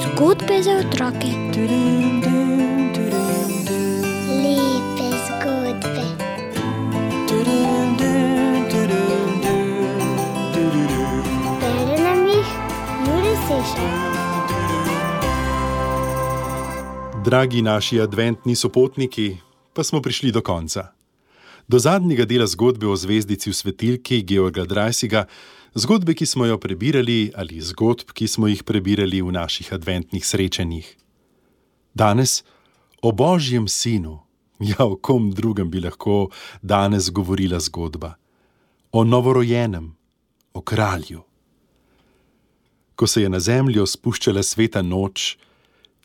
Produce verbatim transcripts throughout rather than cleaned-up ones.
Zgodbe za otroke. Lepe zgodbe. Bere nam jih Jure Sešar. Dragi naši adventni sopotniki, pa smo prišli do konca. Do zadnjega dela zgodbe o zvezdici v svetilki Georga Dreisiga, zgodbe, ki smo jo prebirali, ali zgodb, ki smo jih prebirali v naših adventnih srečanjih. Danes o Božjem sinu, ja, o kom drugem bi lahko danes govorila zgodba. O novorojenem, o kralju. Ko se je na zemljo spuščala sveta noč,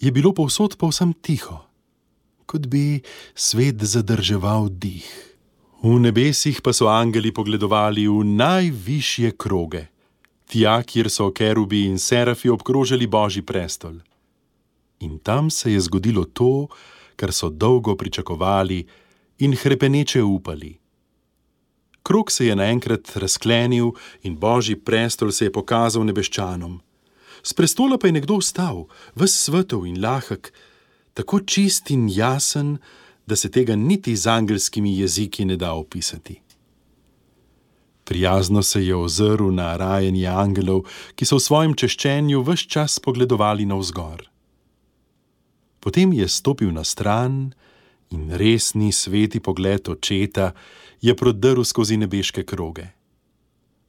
je bilo povsod povsem tiho, kot bi svet zadrževal dih. V nebesih pa so angeli pogledovali v najvišje kroge, tja, kjer so kerubi in serafi obkrožali Božji prestol. In tam se je zgodilo to, kar so dolgo pričakovali in hrepeneče upali. Krog se je naenkrat razklenil in Božji prestol se je pokazal nebeščanom. S prestola pa je nekdo vstal, ves svetov in lahek, tako čist in jasen, da se tega niti z angelskimi jeziki ne da opisati. Prijazno se je ozrl na rajanje angelov, ki so v svojem češčenju ves čas pogledovali navzgor. Potem je stopil na stran in resni sveti pogled očeta je prodrl skozi nebeške kroge.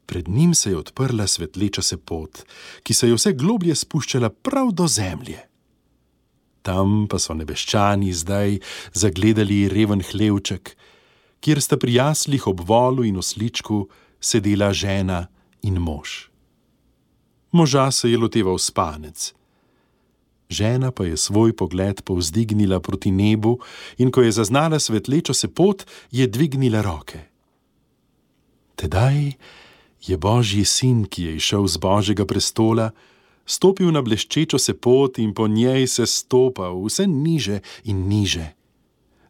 Pred njim se je odprla svetleča se pot, ki se je vse globlje spuščala prav do zemlje. Tam pa so nebeščani zdaj zagledali reven hlevček, kjer sta pri jaslih ob volu in osličku sedela žena in mož. Moža se je loteval spanec. Žena pa je svoj pogled povzdignila proti nebu in ko je zaznala svetlečo se pot, je dvignila roke. Tedaj je Božji sin, ki je išel z Božjega prestola, stopil na bleščečo se pot in po njej se stopal vse niže in niže.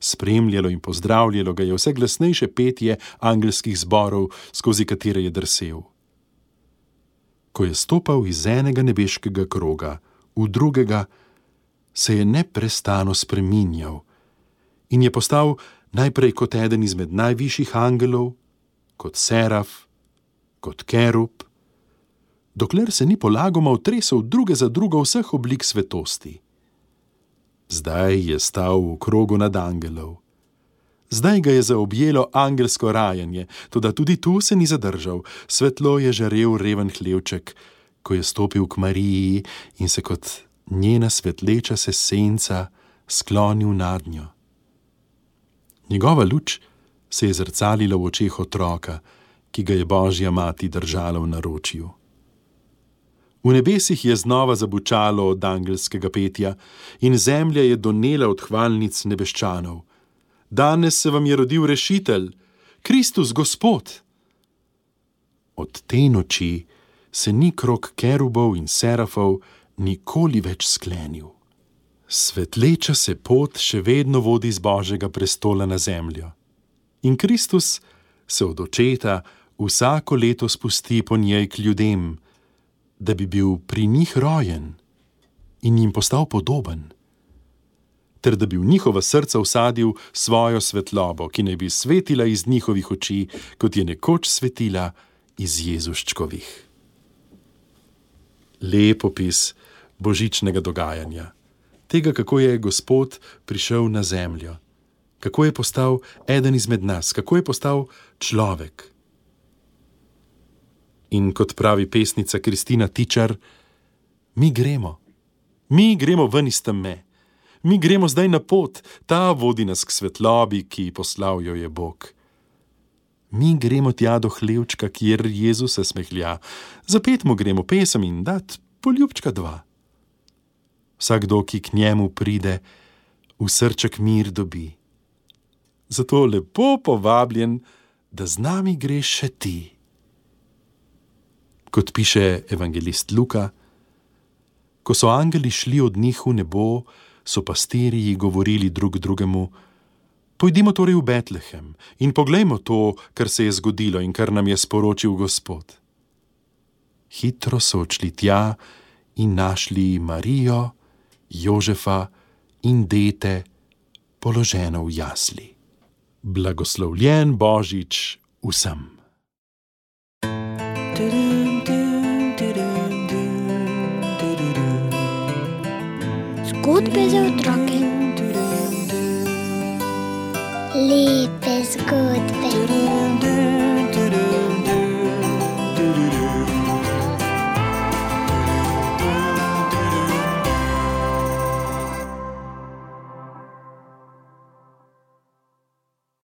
Spremljalo in pozdravljalo ga je vse glasnejše petje angelskih zborov, skozi katere je drsel. Ko je stopal iz enega nebeškega kroga v drugega, se je neprestano spreminjal in je postal najprej kot eden izmed najvišjih angelov, kot seraf, kot kerub, dokler se ni polagoma otresel druge za drugo vseh oblik svetosti. Zdaj je stal v krogu nad angelov. Zdaj ga je zaobjelo angelsko rajanje, toda tudi tu se ni zadržal. Svetlo je žarel reven hlevček, ko je stopil k Mariji in se kot njena svetleča se senca sklonil nad njo. Njegova luč se je zrcalila v očeh otroka, ki ga je Božja mati držala v naročju. V nebesih je znova zabučalo od angelskega petja in zemlja je donela od hvalnic nebeščanov. Danes se vam je rodil rešitelj, Kristus Gospod. Od te noči se ni krog kerubov in serafov nikoli več sklenil. Svetleča se pot še vedno vodi z Božjega prestola na zemljo. In Kristus se od očeta vsako leto spusti po njej k ljudem, da bi bil pri njih rojen in jim postal podoben, ter da bi v njihova srca vsadil svojo svetlobo, ki naj bi svetila iz njihovih oči, kot je nekoč svetila iz Jezuščkovih. Lep opis božičnega dogajanja, tega, kako je Gospod prišel na zemljo, kako je postal eden izmed nas, kako je postal človek. In kot pravi pesnica Kristina Tičar, mi gremo, mi gremo ven iz teme, mi gremo zdaj na pot, ta vodi nas k svetlobi, ki poslal jo je Bog. Mi gremo tja do hlevčka, kjer Jezus se smehlja, zapet mu gremo pesem in dat poljubčka dva. Vsakdo, ki k njemu pride, v srček mir dobi. Zato lepo povabljen, da z nami greš še ti. Kot piše evangelist Luka, ko so angeli šli od njih v nebo, so pastirji govorili drug drugemu: Pojdimo torej v Betlehem in poglejmo to, kar se je zgodilo in kar nam je sporočil Gospod. Hitro so odšli tja in našli Marijo, Jožefa in dete, položeno v jasli. Blagoslovljen Božič vsem. Zgodbe za otroke. Lepe zgodbe.